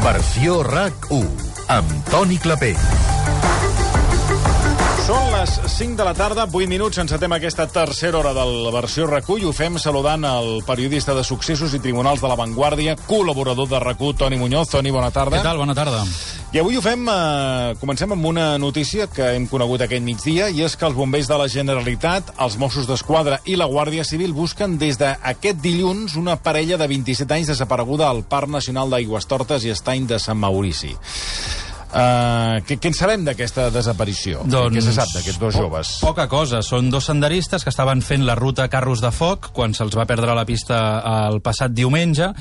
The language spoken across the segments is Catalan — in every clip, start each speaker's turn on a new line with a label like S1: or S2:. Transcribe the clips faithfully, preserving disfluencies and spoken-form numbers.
S1: Versió RAC u, amb Toni Clapé.
S2: Són les cinc de la tarda, vuit minuts, encetem aquesta tercera hora del Versió RAC u i ho fem saludant el periodista de Successos i Tribunals de la Vanguardia, col·laborador de RAC u, Toni Muñoz. Toni, bona tarda.
S3: Què tal? Bona tarda.
S2: I avui ho fem, eh, comencem amb una notícia que hem conegut aquest migdia, i és que els bombers de la Generalitat, els Mossos d'Esquadra i la Guàrdia Civil busquen des d'aquest dilluns una parella de vint-i-set anys desapareguda al Parc Nacional d'Aigüestortes i Estany de Sant Maurici. Uh, què, què en sabem d'aquesta desaparició?
S3: Doncs,
S2: què se sap d'aquests dos joves?
S3: Po poca cosa. Són dos senderistes que estaven fent la ruta Carros de Foc quan se'ls va perdre la pista el passat diumenge.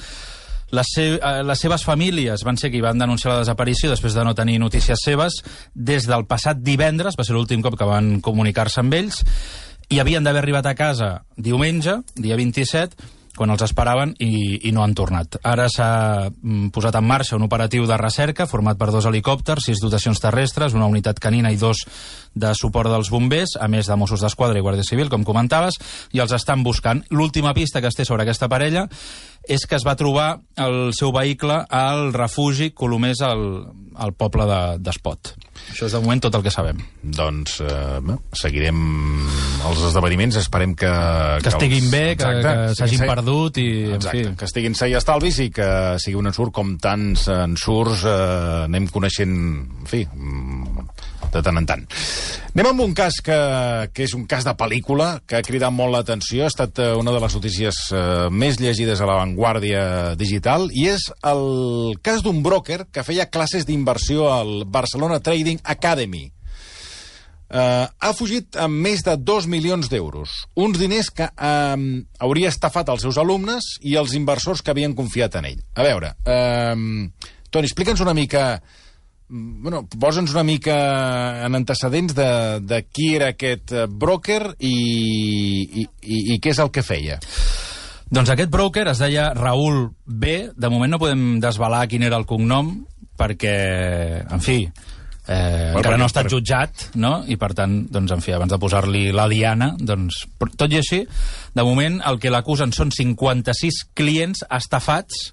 S3: Les, se les seves famílies van ser qui van denunciar la desaparició després de no tenir notícies seves. Des del passat divendres, va ser l'últim cop que van comunicar-se amb ells, i havien d'haver arribat a casa diumenge, dia vint-i-set, quan els esperaven i, i no han tornat. Ara s'ha posat en marxa un operatiu de recerca format per dos helicòpters, sis dotacions terrestres, una unitat canina i dos de suport dels bombers, a més de Mossos d'Esquadra i Guàrdia Civil, com comentaves, i els estan buscant. L'última pista que es té sobre aquesta parella és que es va trobar el seu vehicle al refugi Colomers al, al poble d'Espot. Això és de moment tot el que sabem.
S2: Doncs eh, seguirem els esdeveniments, esperem que...
S3: Que, que estiguin els... bé, exacte, que, que s'hagin perdut i...
S2: Exacte,
S3: en fi.
S2: Que estiguin sa i estalvis i que sigui un ensurt com tants ensurts eh, anem coneixent, en fi, de tant en tant. Anem amb un cas que, que és un cas de pel·lícula, que ha cridat molt l'atenció, ha estat una de les notícies eh, més llegides a la Vanguardia Digital, i és el cas d'un broker que feia classes d'inversió al Barcelona Trading Academy. Uh, ha fugit amb més de dos milions d'euros. Uns diners que uh, hauria estafat els seus alumnes i els inversors que havien confiat en ell. A veure, uh, Toni, explica'ns una mica... Bueno, posa'ns una mica en antecedents de, de qui era aquest broker i, i, i, i què és el que feia.
S3: Doncs aquest broker es deia Raül B. De moment no podem desvelar quin era el cognom perquè, en fi, eh, bueno, encara no ha estat jutjat, no? I per tant, doncs, en fi, abans de posar-li la diana, doncs, tot i així, de moment el que l'acusen són cinquanta-sis clients estafats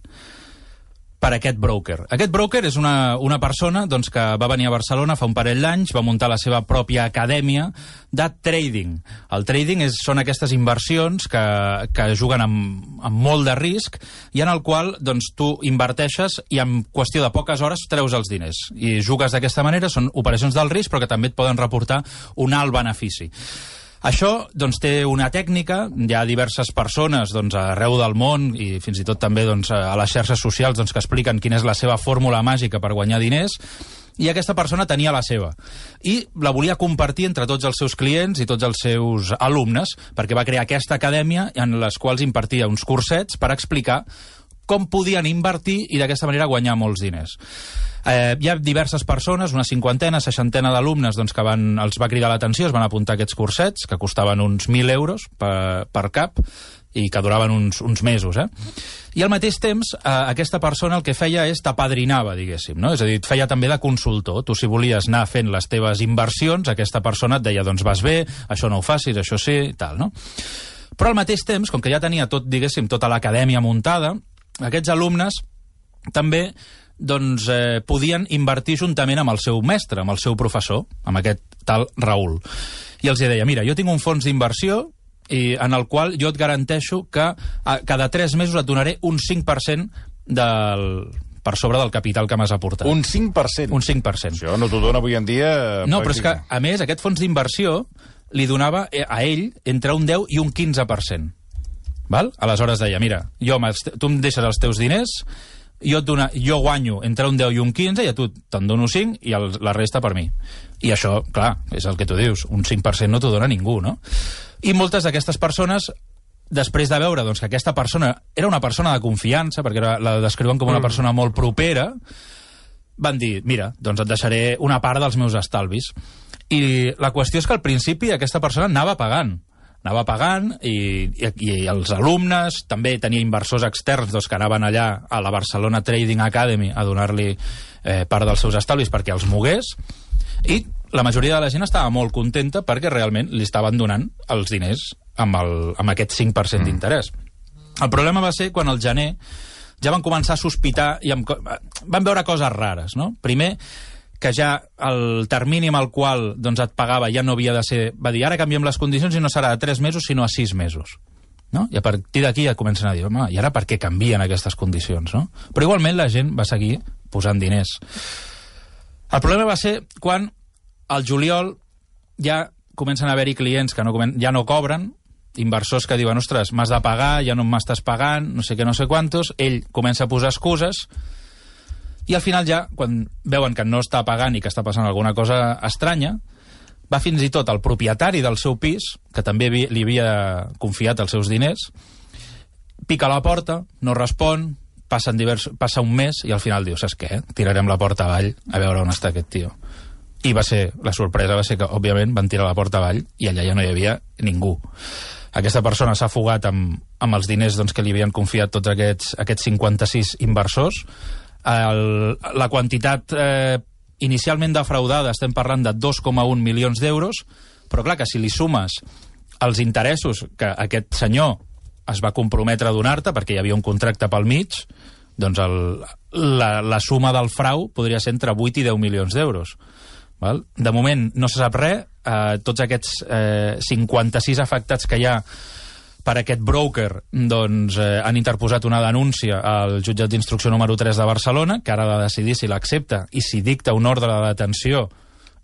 S3: per aquest broker. Aquest broker és una, una persona doncs, que va venir a Barcelona fa un parell d'anys, va muntar la seva pròpia acadèmia de trading. El trading és, són aquestes inversions que, que juguen amb, amb molt de risc i en el qual doncs, tu inverteixes i en qüestió de poques hores treus els diners. I jugues d'aquesta manera, són operacions del risc però que també et poden reportar un alt benefici. Això doncs, té una tècnica, hi ha diverses persones doncs, arreu del món i fins i tot també doncs, a les xarxes socials doncs, que expliquen quina és la seva fórmula màgica per guanyar diners, i aquesta persona tenia la seva. I la volia compartir entre tots els seus clients i tots els seus alumnes, perquè va crear aquesta acadèmia en les quals impartia uns cursets per explicar com podien invertir i d'aquesta manera guanyar molts diners. Eh, hi ha diverses persones, una cinquantena, seixantena d'alumnes doncs, que van, els va cridar l'atenció, es van apuntar aquests cursets, que costaven uns mil euros per, per cap i que duraven uns, uns mesos. Eh? I al mateix temps, eh, aquesta persona el que feia és t'apadrinava, diguéssim, no? És a dir, et feia també de consultor. Tu, si volies anar fent les teves inversions, aquesta persona et deia, doncs vas bé, això no ho facis, això sí, i tal, no? Però al mateix temps, com que ja tenia tot, diguéssim, tota l'acadèmia muntada, aquests alumnes també doncs, eh, podien invertir juntament amb el seu mestre, amb el seu professor, amb aquest tal Raül. I els deia, mira, jo tinc un fons d'inversió i en el qual jo et garanteixo que a, cada tres mesos et donaré un cinc per cent del, per sobre del capital que m'has aportat.
S2: Un cinc per cent?
S3: Un cinc per cent.
S2: Això no t'ho dona avui en dia...
S3: No, però és que, a més, aquest fons d'inversió li donava a ell entre un deu i un quinze per cent. Val? Aleshores deia, mira, jo tu em deixes els teus diners, jo, et dona, jo guanyo entre un deu i un quinze i a tu te'n dono cinc i el, la resta per mi. I això, clar, és el que tu dius, un cinc per cent no t'ho dona ningú, no? I moltes d'aquestes persones, després de veure doncs, que aquesta persona era una persona de confiança, perquè era, la descriuen com una persona molt propera, van dir, mira, doncs et deixaré una part dels meus estalvis. I la qüestió és que al principi aquesta persona anava pagant. Anava pagant i, i, i els alumnes, també tenia inversors externs doncs, que anaven allà a la Barcelona Trading Academy a donar-li eh, part dels seus estalvis perquè els mogués, i la majoria de la gent estava molt contenta perquè realment li estaven donant els diners amb, el, amb aquest cinc per cent d'interès. El problema va ser quan al gener ja van començar a sospitar i amb, van veure coses rares, no? Primer, que ja el termini amb el qual doncs, et pagava ja no havia de ser... Va dir, ara canviem les condicions i no serà de tres mesos, sinó a sis mesos. No? I a partir d'aquí ja comencen a dir, home, i ara per què canvien aquestes condicions, no? Però igualment la gent va seguir posant diners. El problema va ser quan al juliol ja comencen a haver-hi clients que no, ja no cobren, inversors que diuen, ostres, m'has de pagar, ja no m'estàs pagant, no sé què, no sé quantos, ell comença a posar excuses, i al final ja, quan veuen que no està pagant i que està passant alguna cosa estranya, va fins i tot el propietari del seu pis, que també li havia confiat els seus diners, pica a la porta, no respon, passen divers, passa un mes i al final diu, saps què? Tirarem la porta avall a veure on està aquest tio. I va ser, la sorpresa va ser que, òbviament, van tirar la porta avall i allà ja no hi havia ningú. Aquesta persona s'ha fugat amb, amb els diners doncs, que li havien confiat tots aquests, aquests cinquanta-sis inversors. El, la quantitat eh, inicialment defraudada estem parlant de dos coma un milions d'euros, però clar que si li sumes els interessos que aquest senyor es va comprometre a donar-te, perquè hi havia un contracte pel mig, doncs el, la, la suma del frau podria ser entre vuit i deu milions d'euros. Val? De moment no se sap res, eh, tots aquests eh, cinquanta-sis afectats que hi ha per aquest broker doncs, eh, han interposat una denúncia al jutjat d'instrucció número tres de Barcelona, que ara ha de decidir si l'accepta i si dicta un ordre de detenció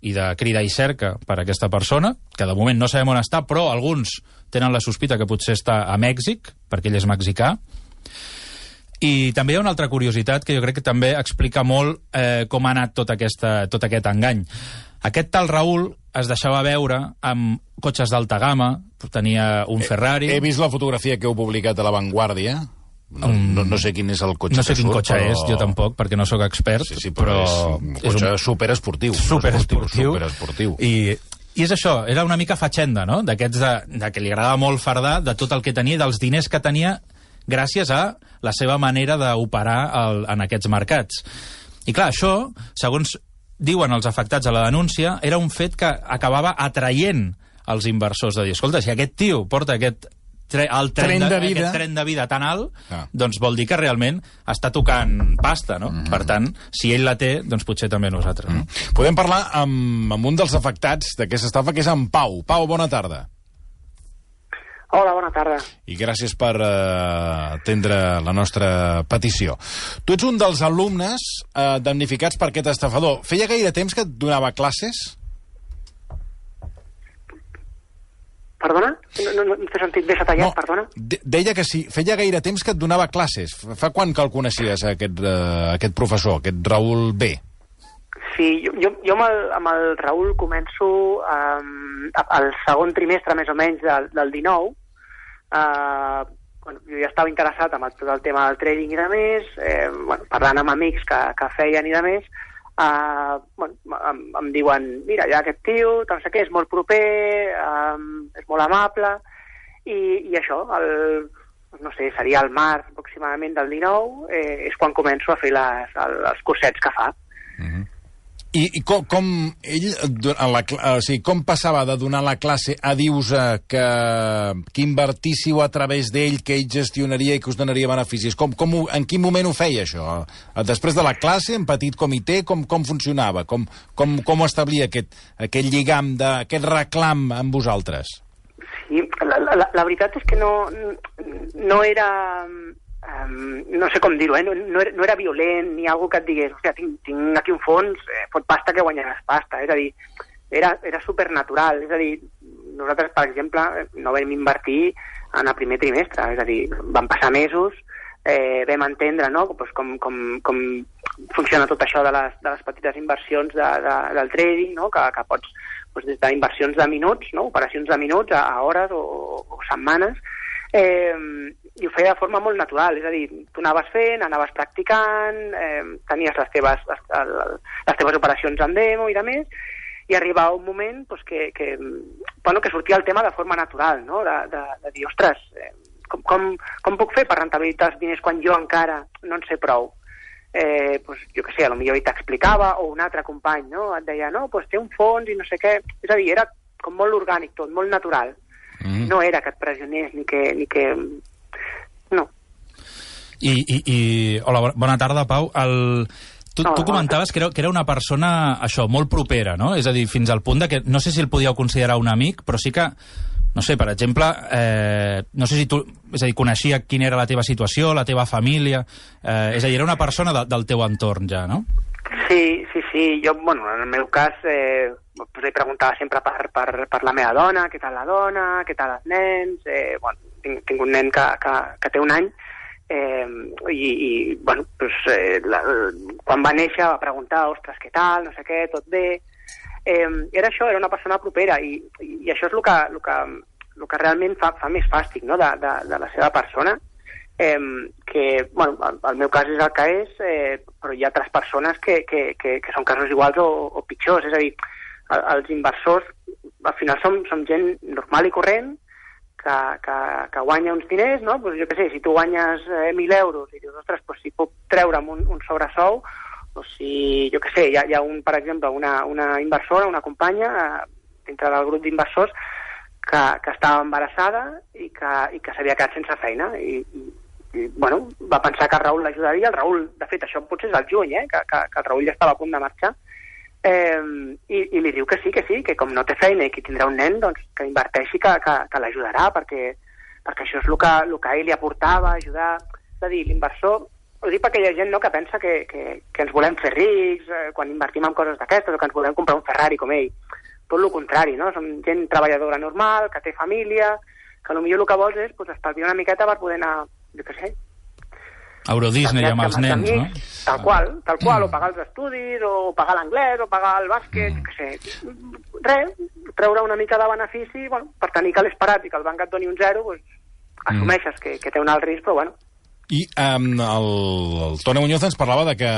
S3: i de crida i cerca per a aquesta persona, que de moment no sabem on està, però alguns tenen la sospita que potser està a Mèxic, perquè ell és mexicà. I també hi ha una altra curiositat que jo crec que també explica molt eh, com ha anat tot, aquesta, tot aquest engany. Aquest tal Raül es deixava veure amb cotxes d'alta gamma, tenia un Ferrari...
S2: He, he vist la fotografia que heu publicat a La Vanguardia. No, um, no, no sé quin és el cotxe
S3: no sé
S2: que
S3: quin
S2: surt,
S3: cotxe
S2: però...
S3: és, jo tampoc, perquè no sóc expert,
S2: sí, sí, però, però és un cotxe és un... superesportiu.
S3: Superesportiu.
S2: Superesportiu.
S3: I, I és això, era una mica fatxenda, no? D'aquests de, de que li agradava molt fardar de tot el que tenia, dels diners que tenia gràcies a la seva manera d'operar en aquests mercats. I clar, això, segons diuen els afectats a la denúncia, era un fet que acabava atraient els inversors de dir, escolta, si aquest tio porta aquest tre el tren, tren, de, de aquest tren de vida tan alt, ah. doncs vol dir que realment està tocant pasta, no? Mm -hmm. Per tant, si ell la té, doncs potser també nosaltres. Mm -hmm.
S2: No? Podem parlar amb, amb un dels afectats d'aquesta estafa, que és en Pau. Pau, bona tarda.
S4: Hola, bona tarda.
S2: I gràcies per uh, atendre la nostra petició. Tu ets un dels alumnes uh, damnificats per aquest estafador. Feia gaire temps que et donava classes?
S4: Perdona? No, no, no t'he sentit bé, s'ha tallat, no, perdona?
S2: De deia que sí, feia gaire temps que et donava classes. Fa quan que el coneixies, aquest, uh, aquest professor, aquest Raül B?
S4: Sí, jo, jo, jo amb, el, amb el Raül començo um, al segon trimestre, més o menys, del, del dinou. Uh, bueno, jo ja estava interessat en el, tot el tema del trading i de més, eh, bueno, parlant amb amics que, que feien i de més, uh, bueno, em, em diuen, mira, ja aquest tio, no sé què, és molt proper, um, és molt amable, i, i això, el, no sé, seria el març aproximadament del dinou, eh, és quan començo a fer les, els cursets que fa.
S2: Mm-hmm. I, i com, com ell, en la, o sigui, com passava de donar la classe a dir-vos que, que invertíssiu a través d'ell, que ell gestionaria i que us donaria beneficis? Com, com, en quin moment ho feia, això? Després de la classe, en petit comitè, com, com funcionava? Com, com, com establia aquest, aquest lligam, de, aquest reclam amb vosaltres?
S4: Sí, la, la, la veritat és que no, no era... Um, no sé com dir-ho, eh? no, no, era, no era violent ni algo que et digués, hòstia, tinc, tinc aquí un fons, eh, fot pasta que guanyaràs pasta, és a dir, era, era supernatural, és a dir, nosaltres, per exemple, no vam invertir en el primer trimestre, és a dir, van passar mesos, eh, vam entendre, no?, pues, com, com, com funciona tot això de les, de les petites inversions de, de, del trading, no?, que, que pots, pues, des d'inversions de minuts, no?, operacions de minuts a, a hores o, o setmanes, eh, i ho feia de forma molt natural, és a dir, tu anaves fent, anaves practicant, eh, tenies les teves, les, les teves operacions en demo i de més, i arribava un moment pues, que, que, bueno, que sortia el tema de forma natural, no? de, de, de dir, ostres, eh, com, com, com puc fer per rentabilitzar els diners quan jo encara no en sé prou? Eh, pues, jo què sé, potser ell t'explicava, o un altre company, no? Et deia, no, pues, té un fons i no sé què, és a dir, era com molt orgànic tot, molt natural. Mm. No era que et pressionés ni que... Ni que... No.
S3: I, i, i... Hola, bona tarda, Pau. El... Tu, tu comentaves que era, que era una persona, això, molt propera, no? És a dir, fins al punt de que no sé si el podíeu considerar un amic, però sí que, no sé, per exemple, eh, no sé si tu, és a dir, coneixia quina era la teva situació, la teva família, eh, és a dir, era una persona de, del teu entorn ja, no?
S4: Sí, sí, sí. Jo, bueno, en el meu cas, eh, pues li preguntava sempre per, per, per la meva dona, què tal la dona, què tal els nens, eh, bueno, tinc, tinc un nen que, que, que té un any, Eh, i, i bueno, pues, eh, la, quan va néixer va preguntar, ostres, què tal, no sé què, tot bé. Eh, era això, era una persona propera, i, i això és el que, el que, el que realment fa, fa més fàstic, no?, de, de, de la seva persona, eh, que, bueno, el, el meu cas és el que és, eh, però hi ha altres persones que, que, que, que són casos iguals o, o pitjors, és a dir, el, els inversors al final som, som gent normal i corrent, Que, que, que guanya uns diners, no? Pues jo què sé, si tu guanyes eh, mil euros i dius, ostres, pues si puc treure'm un, un sobresou, o si, jo què sé, hi ha, hi ha un, per exemple, una, una inversora, una companya, eh, dintre del grup d'inversors, que, que estava embarassada i que, i que s'havia quedat sense feina. I, i, i, bueno, va pensar que el Raül l'ajudaria. El Raül, de fet, això potser és el juny, eh? Que, que, que el Raül ja estava a punt de marxar. Eh, i, i li diu que sí, que sí, que com no té feina i que tindrà un nen, doncs que inverteixi, que, que, que l'ajudarà, perquè, perquè això és el que, el que ell li aportava, ajudar. És a dir, l'inversor, ho dic perquè hi ha gent, no?, que pensa que, que, que ens volem fer rics eh, quan invertim en coses d'aquestes, o que ens volem comprar un Ferrari com ell. Tot el contrari, no? Som gent treballadora normal, que té família, que potser el que vols és pues, estalviar una miqueta per poder anar, jo què sé,
S3: Euro Disney amb els nens, no?
S4: Tal qual, tal qual, o pagar els estudis, o pagar l'anglès, o pagar el bàsquet, mm. què sé. Res, treure una mica de benefici, bueno, per tenir que l'has parat i que el banc et doni un zero, doncs, assumeixes mm. que, que té un alt risc, però bueno.
S2: I um, el, el Toni Muñoz ens parlava de que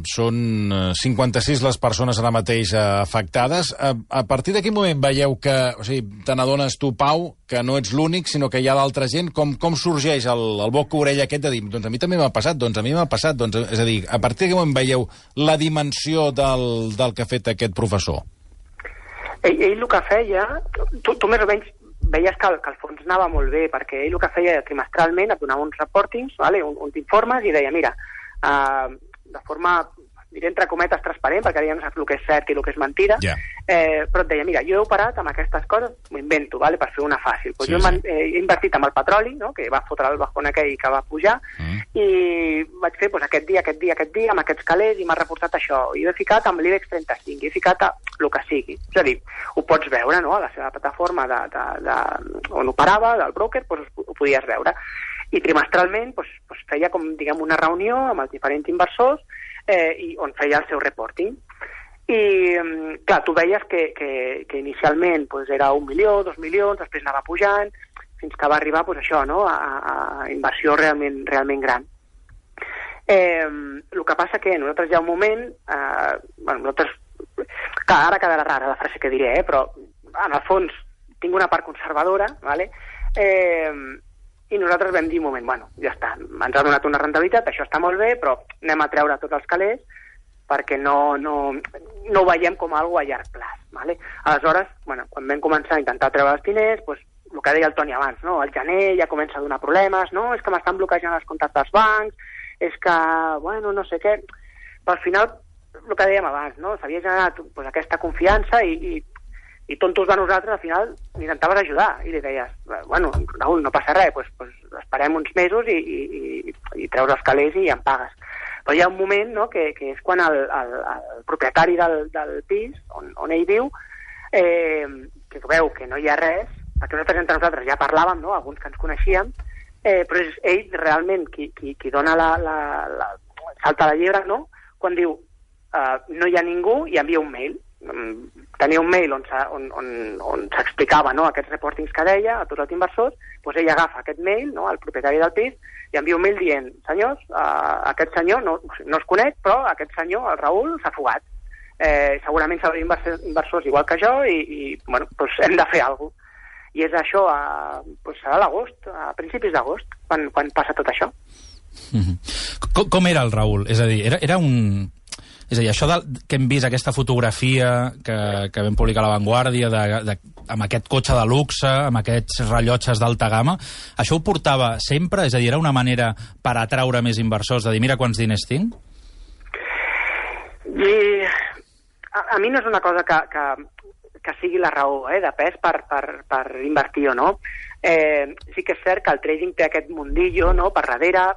S2: són cinquanta-sis les persones ara mateix afectades. A, a partir de quin moment veieu que, o sigui, te n'adones tu, Pau, que no ets l'únic, sinó que hi ha d'altra gent? Com, com sorgeix el, el boca-orella aquest de dir, doncs a mi també m'ha passat, doncs a mi m'ha passat, doncs, és a dir, a partir de quin moment veieu la dimensió del, del que ha fet aquest professor?
S4: Ell, ell el que feia, tu, tu més o menys veies que el, que el fons anava molt bé, perquè ell el que feia trimestralment et donava uns reportings, vale? Un, uns informes, i deia, mira, uh, de forma, diré entre cometes, transparent, perquè ara ja no saps el que és cert i el que és mentida, yeah. eh, però et deia, mira, jo he operat amb aquestes coses, m'ho invento, vale? Per fer una fàcil. Pues sí, jo sí. he invertit amb el petroli, no? Que va fotre el bajón aquell que va pujar, mm. i vaig fer pues, aquest dia, aquest dia, aquest dia, amb aquests calés, i m'ha reportat això. I he ficat amb l'IBEX trenta-cinc, i he ficat a el que sigui. És a dir, ho pots veure, no?, a la seva plataforma de, de, de, on operava, del broker, pues, ho podies veure. I trimestralment pues, pues, feia com, diguem, una reunió amb els diferents inversors, eh, i on feia el seu reporting. I, clar, tu veies que, que, que inicialment pues, era un milió, dos milions, després anava pujant, fins que va arribar pues, això, no?, a, a inversió realment, realment gran. Eh, el que passa que nosaltres hi ha un moment, eh, bueno, nosaltres, clar, ara quedarà rara la frase que diré, eh, però en el fons tinc una part conservadora, ¿vale? eh, i nosaltres vam dir un moment, bueno, ja està, ens ha donat una rendibilitat, això està molt bé, però anem a treure tots els calés perquè no, no, no ho veiem com algo a llarg plaç. ¿Vale? Aleshores, bueno, quan vam començar a intentar treure els diners, pues, el que deia el Toni abans, no? Al gener ja comença a donar problemes, no? És que m'estan bloquejant els comptes dels bancs, és que, bueno, no sé què. Però al final, el que dèiem abans, no? S'havia generat pues, aquesta confiança i, i i tontos de nosaltres, al final, intentaves ajudar, i li deies, bueno, Raül, no passa res, pues, pues esperem uns mesos i, i, i treus els calés i em pagues. Però hi ha un moment, no?, que, que és quan el, el, el propietari del, del pis, on, on ell viu, eh, que veu que no hi ha res, perquè nosaltres entre nosaltres ja parlàvem, no?, alguns que ens coneixíem, eh, però és ell realment qui, qui, qui dona la, la, la salta a la llebre, no?, quan diu, uh, no hi ha ningú, i envia un mail. Tenia un mail on, on, on, on s'explicava, no?, aquests reportings que deia a tots els inversors, doncs ell agafa aquest mail, no?, al propietari del pis, i envia un mail dient, senyors, uh, aquest senyor, no, no es conec, però aquest senyor, el Raül, s'ha fugat. Eh, segurament s'haurà inversors, inversors igual que jo i, i bueno, doncs hem de fer alguna cosa. I és això a, doncs a l'agost, a principis d'agost, quan, quan passa tot això.
S3: Mm-hmm. Com, com era el Raül? És a dir, era, era un... És a dir, això de, que hem vist, aquesta fotografia que, que vam publicar a La Vanguardia, de, de, amb aquest cotxe de luxe, amb aquests rellotges d'alta gamma, això ho portava sempre? És a dir, era una manera per atraure més inversors, de dir, mira quants diners tinc?
S4: I a, a mi no és una cosa que, que, que sigui la raó eh, de pes per, per, per invertir o no. Eh, sí que és cert que el trading té aquest mundillo, no?, per darrere,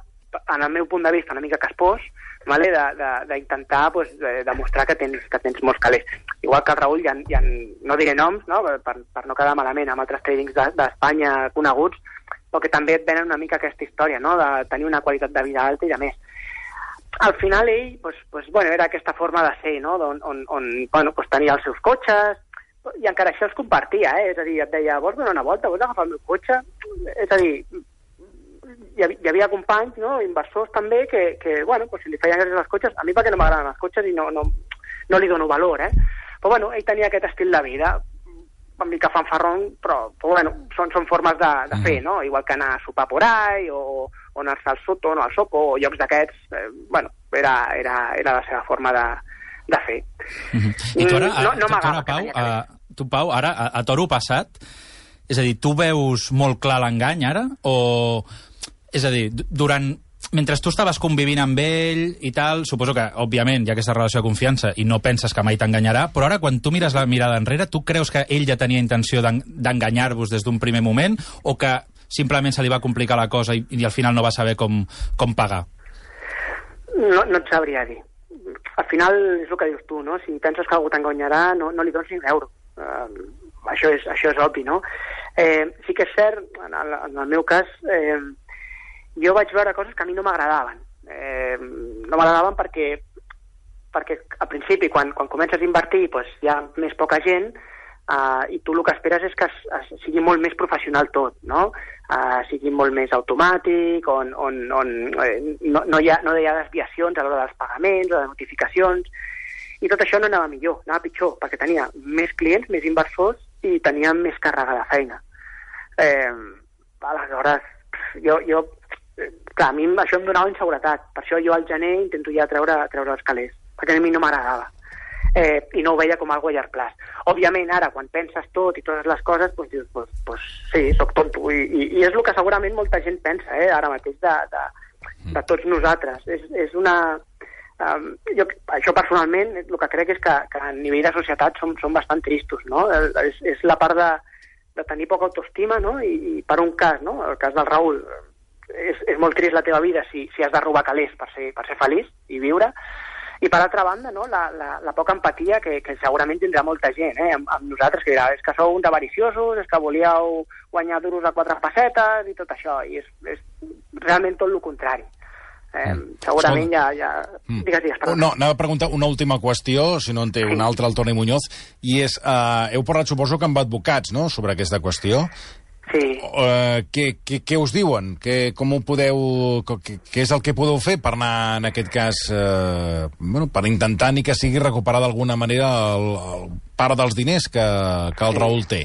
S4: en el meu punt de vista una mica caspós, vale? d'intentar pues, de, demostrar que tens, que tens molts calés. Igual que el Raül, hi ha, hi ha, no diré noms, no? Per, per no quedar malament amb altres tradings d'Espanya de, coneguts, però que també et venen una mica aquesta història, no?, de tenir una qualitat de vida alta i de més. Al final ell, pues, pues, bueno, era aquesta forma de ser, no?, on, on, on bueno, pues, tenia els seus cotxes, i encara això els compartia, eh? És a dir, et deia, vols donar una volta, vols agafar el meu cotxe? És a dir, hi havia, hi havia companys, no?, inversors també, que, que bueno, pues, si li feien gràcies als cotxes, a mi perquè no m'agraden els cotxes i no, no, no li dono valor, eh? Però bueno, ell tenia aquest estil de vida, una mica fanfarrón, però, però bueno, són, són formes de, de fer, no? Igual que anar a sopar por ahí, o, o anar-se al Soto, no, al Soco, o llocs d'aquests, eh, bueno, era, era, era la seva forma de, de fer.
S3: Mm-hmm. I tu ara,
S4: no, no
S3: tu, tu ara, Pau, a, tu, Pau, ara, a, a toro passat, és a dir, tu veus molt clar l'engany ara, o... És a dir, durant... Mentre tu estaves convivint amb ell i tal, suposo que, òbviament, hi ha aquesta relació de confiança i no penses que mai t'enganyarà, però ara, quan tu mires la mirada enrere, tu creus que ell ja tenia intenció d'enganyar-vos des d'un primer moment o que simplement se li va complicar la cosa i, i al final no va saber com, com pagar?
S4: No, no et sabria dir. Al final és el que dius tu, no? Si penses que algú t'enganyarà, no, no li dones ni un euro. Uh, això, és, això és obvi, no? Eh, sí que és cert, en el, en el meu cas... Eh, jo vaig veure coses que a mi no m'agradaven. Eh, no m'agradaven perquè, perquè al principi, quan, quan comences a invertir, pues, hi ha més poca gent eh, i tu el que esperes és que es, es, sigui molt més professional tot, no? Eh, sigui molt més automàtic, on, on, on eh, no, no, hi ha, no hi ha desviacions a l'hora dels pagaments o de notificacions, i tot això no anava millor, anava pitjor, perquè tenia més clients, més inversors i tenia més càrrega de feina. Eh, aleshores, jo... jo clar, a mi això em donava inseguretat, per això jo al gener intento ja treure, treure els calés, perquè a mi no m'agradava, eh, i no ho veia com algo a llarg plaç. Òbviament ara, quan penses tot i totes les coses, doncs dius, pues, pues, sí, soc tonto, I, i, i és el que segurament molta gent pensa, eh, ara mateix de, de, de tots nosaltres. És, és una... Um, jo, això personalment, el que crec és que, que a nivell de societat som, som bastant tristos, no? És, és la part de, de tenir poca autoestima, no? I, i per un cas, no? El cas del Raül, És, és molt trist la teva vida si, si has de robar calés per ser, per ser feliç i viure, i per altra banda, no, la, la, la poca empatia que, que segurament tindrà molta gent, eh, amb, amb nosaltres, que dirà, és que sou uns avariciosos, és que volíeu guanyar duros a quatre pessetes i tot això, i és, és realment tot el contrari. Eh, mm. Segurament ja... ja... Mm. Digues, digues, perdó.
S2: No, anava a preguntar una última qüestió, si no en té sí. una altra, el Toni Muñoz, i és, uh, heu parlat, suposo, que amb advocats, no?, sobre aquesta qüestió.
S4: Sí.
S2: Uh, què, què, què us diuen? Què, com ho podeu... Què, què és el que podeu fer per anar, en aquest cas, uh, bueno, per intentar ni que sigui recuperar d'alguna manera el, el part dels diners que, que el sí. Raül té?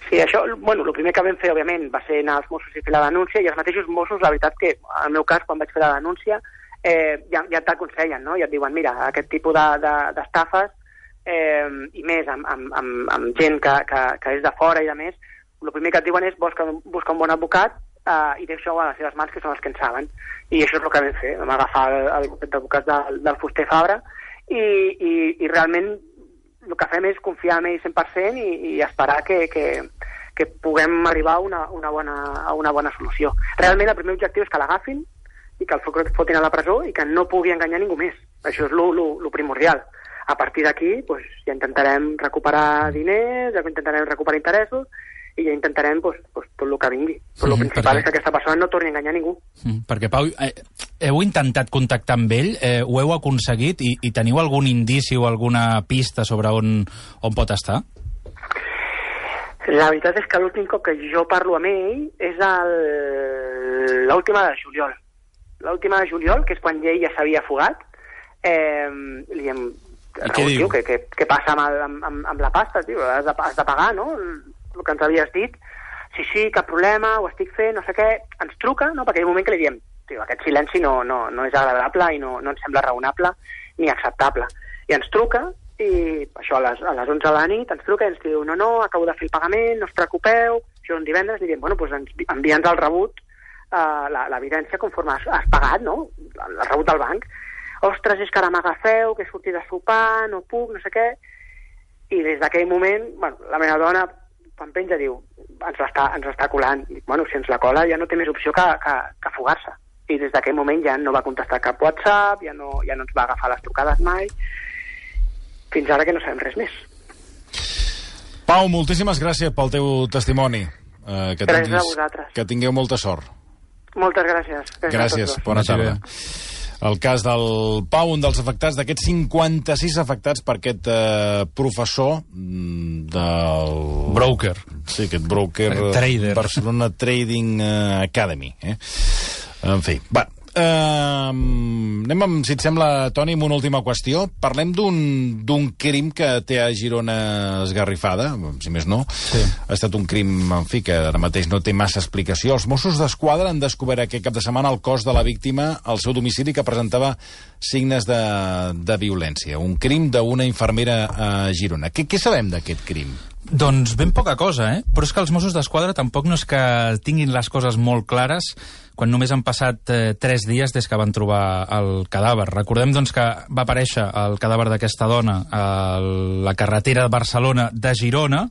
S4: Sí, això, bueno, el primer que vam fer, òbviament, va ser anar als Mossos i fer la denúncia, i els mateixos Mossos, la veritat que, en el meu cas, quan vaig fer la denúncia, eh, ja, ja t'aconsellen, no? Ja et diuen, mira, aquest tipus d'estafes, de, de, eh, i més amb, amb, amb, amb gent que, que, que és de fora i de més, el primer que et diuen és busca, busca un bon advocat uh, i deixa-ho a les seves mans, que són els que en saben. I això és el que vam fer. Vam agafar el, el bufet d'advocats del, del Fuster Fabra i, i, i realment el que fem és confiar en ell cent per cent i, i esperar que, que, que puguem arribar a una, una bona, a una bona solució. Realment el primer objectiu és que l'agafin i que el fotin a la presó i que no pugui enganyar ningú més. Això és el primordial. A partir d'aquí pues, ja intentarem recuperar diners, ja intentarem recuperar interessos i ja intentarem pues, pues, tot el que vingui. Però el principal perquè... és que aquesta persona no torni a enganyar ningú.
S3: Mm, perquè, Pau, eh, heu intentat contactar amb ell? Eh, ho heu aconseguit? I, I teniu algun indici o alguna pista sobre on, on pot estar?
S4: La veritat és que l'últim cop que jo parlo amb ell és l'última de juliol. L'última de juliol, que és quan ell ja s'havia fugat, eh, li diem... Raül, tio, què, què, què passa amb, amb, amb la pasta, tio? Has de, has de pagar, no?, el que ens havies dit. Sí, sí, cap problema, ho estic fent, no sé què. Ens truca, no?, perquè hi ha un moment que li diem, tio, aquest silenci no, no, no és agradable i no, no ens sembla raonable ni acceptable. I ens truca, i això a les, a les onze de la nit ens truca i ens diu, no, no, acabo de fer el pagament, no us preocupeu, això és un divendres, i diem, bueno, doncs envia'ns el rebut, uh, l'evidència conforme has, has pagat, no?, el rebut del banc. Ostres, és que ara m'agafeu, que he sortit a sopar, no puc, no sé què. I des d'aquell moment, bueno, la meva dona, quan penja, diu, ens l'està ens està colant. Dic, bueno, si ens la cola ja no té més opció que, que, que fugar-se. I des d'aquell moment ja no va contestar cap WhatsApp, ja no, ja no ens va agafar les trucades mai, fins ara que no sabem res més.
S2: Pau, moltíssimes gràcies pel teu testimoni. Uh, que
S4: gràcies
S2: tinguis,
S4: a vosaltres.
S2: Que tingueu molta sort.
S4: Moltes gràcies. Gràcies,
S2: gràcies bona tarda. El cas del Pau, un dels afectats, d'aquests cinquanta-sis afectats per aquest eh, professor del...
S3: Broker.
S2: Sí, aquest broker.
S3: Trader.
S2: Barcelona Trading Academy. Eh? En fi, va. Uh, anem amb, si et sembla, Toni, amb una última qüestió. Parlem d'un crim que té a Girona esgarrifada, si més no.
S3: Sí.
S2: Ha estat un crim, en fi, que ara mateix no té massa explicació. Els Mossos d'Esquadra han descobert aquest cap de setmana el cos de la víctima al seu domicili, que presentava signes de, de violència. Un crim d'una infermera a Girona. Què, què sabem d'aquest crim?
S3: Doncs ben poca cosa, eh? Però és que els Mossos d'Esquadra tampoc no és que tinguin les coses molt clares quan només han passat eh, tres dies des que van trobar el cadàver. Recordem, doncs, que va aparèixer el cadàver d'aquesta dona a la carretera de Barcelona de Girona.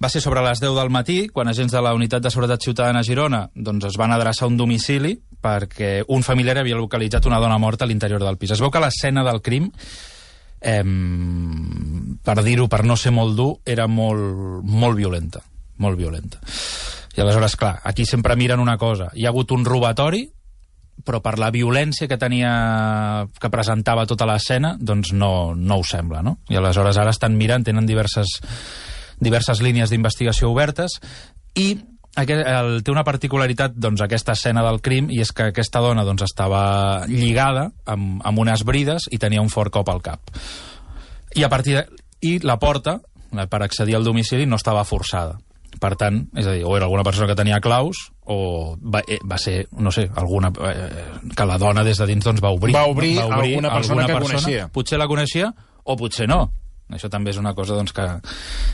S3: Va ser sobre les deu del matí, quan agents de la Unitat de Seguretat Ciutadana a Girona doncs, es van adreçar a un domicili perquè un familiar havia localitzat una dona morta a l'interior del pis. Es veu que l'escena del crim, eh, per dir-ho, per no ser molt dur, era molt, molt violenta. Molt violenta. I aleshores, clar, aquí sempre miren una cosa. Hi ha hagut un robatori, però per la violència que tenia, que presentava tota l'escena, doncs no, no ho sembla, no? I aleshores ara estan mirant, tenen diverses, diverses línies d'investigació obertes, i aquest, el, té una particularitat, doncs, aquesta escena del crim, i és que aquesta dona, doncs, estava lligada amb, amb unes brides i tenia un fort cop al cap. I a partir de... I la porta, per accedir al domicili, no estava forçada. Per tant, és a dir, o era alguna persona que tenia claus, o va, eh, va ser, no sé, alguna, eh, que la dona des de dins doncs, va obrir.
S2: Va obrir,
S3: va obrir
S2: alguna persona
S3: alguna
S2: que
S3: persona,
S2: coneixia.
S3: Potser la coneixia, o potser no. Això també és una cosa doncs, que,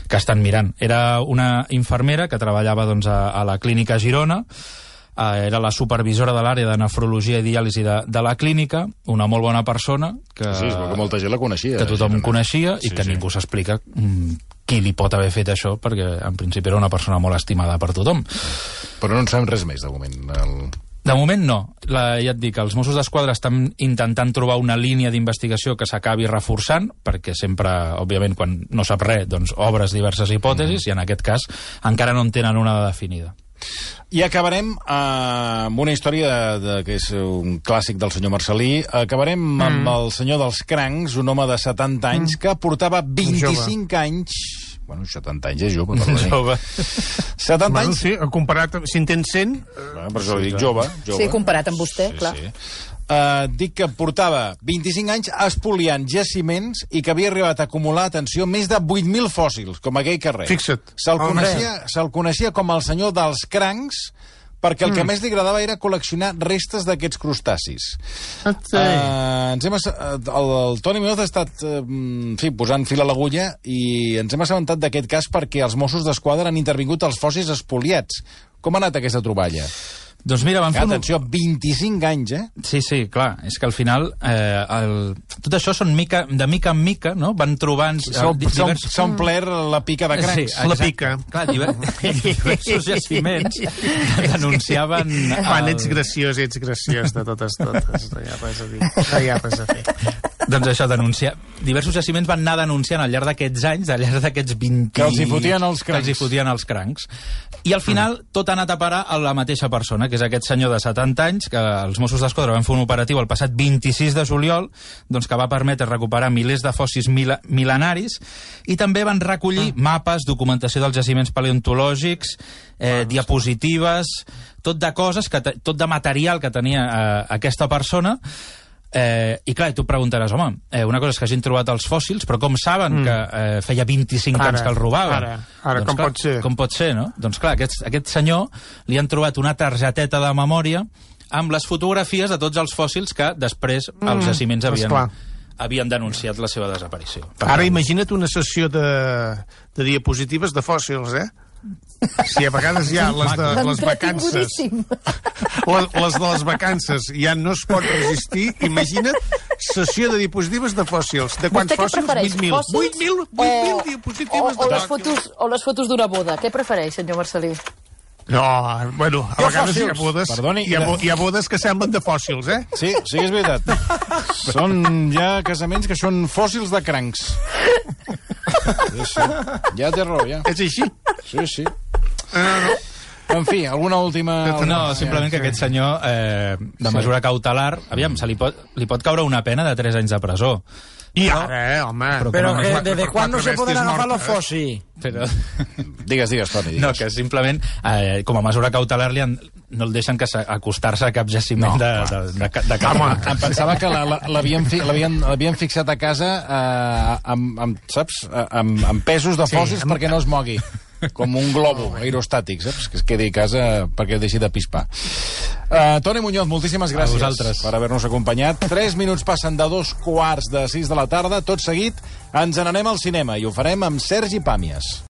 S3: que estan mirant. Era una infermera que treballava doncs, a, a la clínica Girona, eh, era la supervisora de l'àrea de nefrologia i diàlisi de, de la clínica, una molt bona persona, que,
S2: sí, és que molta gent la coneixia.
S3: que tothom
S2: Girona.
S3: coneixia i
S2: Sí,
S3: que
S2: sí.
S3: ningú s'explica mm, qui li pot haver fet això, perquè en principi era una persona molt estimada per tothom.
S2: Però no en sabem res més, de moment. El...
S3: De moment no. La, ja et dic, els Mossos d'Esquadra estan intentant trobar una línia d'investigació que s'acabi reforçant, perquè sempre, òbviament, quan no sap res, doncs obres diverses hipòtesis, mm. i en aquest cas encara no en tenen una definida.
S2: I acabarem eh, amb una història de, de, que és un clàssic del senyor Marcelí. Acabarem mm. amb el senyor dels crancs, un home de setanta anys mm. que portava vint-i-cinc anys... Bueno, setanta anys és jove, per
S3: Jove.
S2: setanta
S5: Bueno,
S2: anys...
S5: sí, comparat, amb- si en tens cent...
S2: Bueno, per això li dic jove, jove.
S6: Sí, comparat amb vostè, clar.
S2: Sí. Uh, dic que portava vint-i-cinc anys espoliant jaciments i que havia arribat a acumular, atenció, més de vuit mil fòssils, com aquell carrer.
S5: Fixa't.
S2: Se'l
S5: Home.
S2: coneixia, se coneixia com el senyor dels crancs, perquè el mm. que més li agradava era col·leccionar restes d'aquests crustacis.
S5: Ah, sí.
S2: Uh, ens hem ass... el, el Toni Muñoz ha estat uh, en fi, posant fil a l'agulla i ens hem assabentat d'aquest cas perquè els Mossos d'Esquadra han intervingut als fòssils espoliats. Com ha anat aquesta troballa?
S3: Doncs mira, van fer... un-
S2: Atenció, vint-i-cinc anys, eh?
S3: Sí, sí, clar, és que al final eh, el... tot això són mica, de mica en mica, no? Van trobant...
S2: S'ha
S3: divers...
S2: omplert la pica de crancs.
S3: Sí,
S5: La
S3: exacte.
S5: pica.
S3: Clar, diver... diversos jaciments que denunciaven...
S5: Quan
S3: el-
S5: ets graciós, ets graciós de totes, totes. No hi ha res a dir. No hi ha res a fer.
S3: Doncs això, denunciar... Diversos jaciments van anar denunciant al llarg d'aquests anys, al llarg d'aquests vint...
S2: Que els hi fotien els
S3: Que els hi
S2: crancs.
S3: fotien els crancs. I al final tot ha anat a parar a la mateixa persona, que és aquest senyor de setanta anys, que els Mossos d'Esquadra van fer un operatiu el passat vint-i-sis de juliol, doncs que va permetre recuperar milers de fòssils mil mil·lenaris, i també van recollir ah. mapes, documentació dels jaciments paleontològics, eh, diapositives, tot de coses, que te- tot de material que tenia eh, aquesta persona. Eh, I clar, tu et preguntaràs, home, eh, una cosa és que hagin trobat els fòssils, però com saben mm. que eh, feia vint-i-cinc
S5: Ara,
S3: anys que el robaven?
S5: ara, ara,
S3: doncs,
S5: com
S3: clar,
S5: pot ser?
S3: Com pot ser, no? Doncs clar, aquest, aquest senyor li han trobat una targeteta de memòria amb les fotografies de tots els fòssils que després mm, els jaciments havien, havien denunciat la seva desaparició. Per
S5: Ara
S3: tant,
S5: imagina't una sessió de, de diapositives de fòssils, eh? Si a vegades hi ha les de les vacances, les, les de les vacances ja no es pot resistir, imagina't sessió de diapositives de fòssils. De quants fòssils? vuit mil. vuit mil diapositives
S6: o, o,
S5: de
S6: les fotos, o les fotos d'una boda. Què prefereix, senyor Marcelí?
S5: No, bueno, a vegades hi ha bodes,
S2: Perdoni,
S5: hi ha, hi ha bodes que semblen de fòssils, eh?
S2: Sí, sí, és veritat. Són ja casaments que són fòssils de crancs. Sí, sí. Ja té raó, ja.
S5: És així?
S2: Sí, sí. En fi, alguna última...
S3: no, simplement que aquest senyor, eh, de mesura cautelar, aviam, se li pot, li pot caure una pena de tres anys de presó.
S5: I ara, eh, home...
S3: Però
S7: Pero
S3: no,
S7: que
S5: no,
S7: desde
S5: per
S7: cuándo
S5: quatre
S7: se pueden
S5: bèsties
S7: agafar los
S5: mortes,
S7: fósiles.
S3: Però...
S2: Digues, digues, Toni, digues.
S3: No, que simplement, eh, com a mesura cautelar, li han, no el deixen que acostar-se a cap jaciment
S2: No,
S3: de, de, de, de, de cap
S2: Home, em pensava que la- la- l'havien fi, l'havien l'havien fixat a casa eh, amb, amb, saps, Eh, amb, amb pesos de fòssils
S5: Sí, amb-
S2: perquè no es mogui. Com un globo aerostàtic, saps? Que es quedi a casa perquè deixi de pispar. Uh, Toni Muñoz, moltíssimes gràcies
S3: vosaltres.
S2: per haver-nos acompanyat. Tres minuts passen de dos quarts de sis de la tarda. Tot seguit ens n'anem al cinema i ho farem amb Sergi Pàmies.